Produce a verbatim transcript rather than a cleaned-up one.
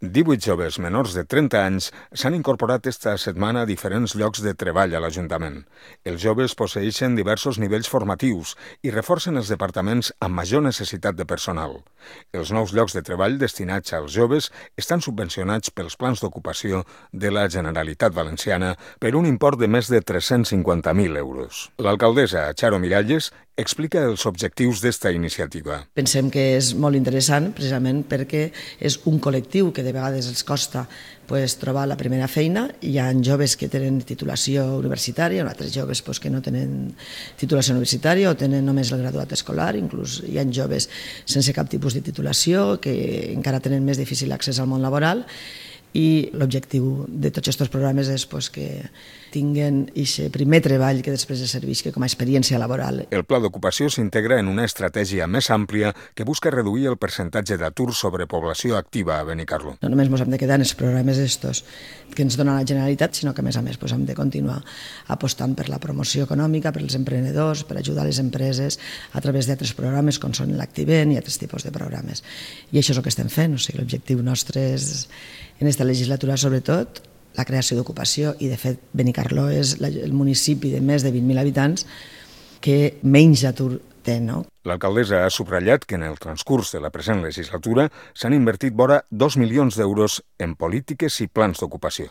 divuit joves menors de trenta anys s'han incorporat esta setmana a diferents llocs de treball a l'Ajuntament. Els joves posseeixen diversos nivells formatius i reforcen els departaments amb major necessitat de personal. Els nous llocs de treball destinats als joves estan subvencionats pels plans d'ocupació de la Generalitat Valenciana per un import de més de tres-cents cinquanta mil euros. L'alcaldessa Charo Miralles explica els objectius d'esta iniciativa. Pensem que és molt interessant precisament perquè és un col·lectiu que de vegades els costa pues, trobar la primera feina. Hi ha joves que tenen titulació universitària, altres joves pues, que no tenen titulació universitària o tenen només el graduat escolar, inclús hi ha joves sense cap tipus de titulació que encara tenen més difícil accés al món laboral. I l'objectiu de tots aquests programes és pues, que tinguen aquest primer treball que després es serveixi com a experiència laboral. El pla d'ocupació s'integra en una estratègia més àmplia que busca reduir el percentatge d'atur sobre població activa a Benicarló. No només ens hem de quedar en els programes estos que ens dona la Generalitat, sinó que a més a més pues, hem de continuar apostant per la promoció econòmica, per als emprenedors, per ajudar les empreses a través d'altres programes com són l'Activent i altres tipus de programes. I això és el que estem fent. O sigui, l'objectiu nostre és en aquesta legislatura, sobretot, la creació d'ocupació i, de fet, Benicarló és el municipi de més de vint mil habitants que menys atur té, no? L'alcaldessa ha subratllat que en el transcurs de la present legislatura s'han invertit vora dos milions d'euros en polítiques i plans d'ocupació.